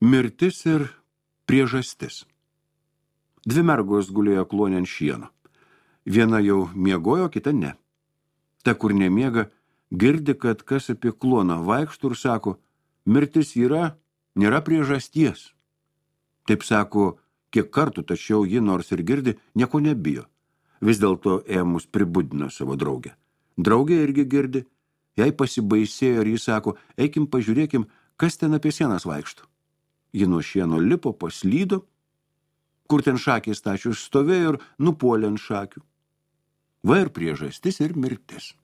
Mirtis ir priežastis. Dvi mergos gulėjo klone ant šieno. Viena jau miegojo, kita ne. Ta, kur nemiega, girdi, kad kas apie kloną vaikšto ir sako, mirtis yra, nėra priežasties. Taip sako, kiek kartų, tačiau ji nors ir girdi, nieko nebijo. Vis dėlto ėmus pribudino savo draugę. Draugė irgi girdi, jai pasibaisėjo ir jis sako, eikim pažiūrėkim, kas ten apie sienas vaikšto. Ji nuo šieno lipo, paslydo, kur ten šakės stačius stovėjo ir nupuolė ant šakių. Va ir priežastis ir mirtis.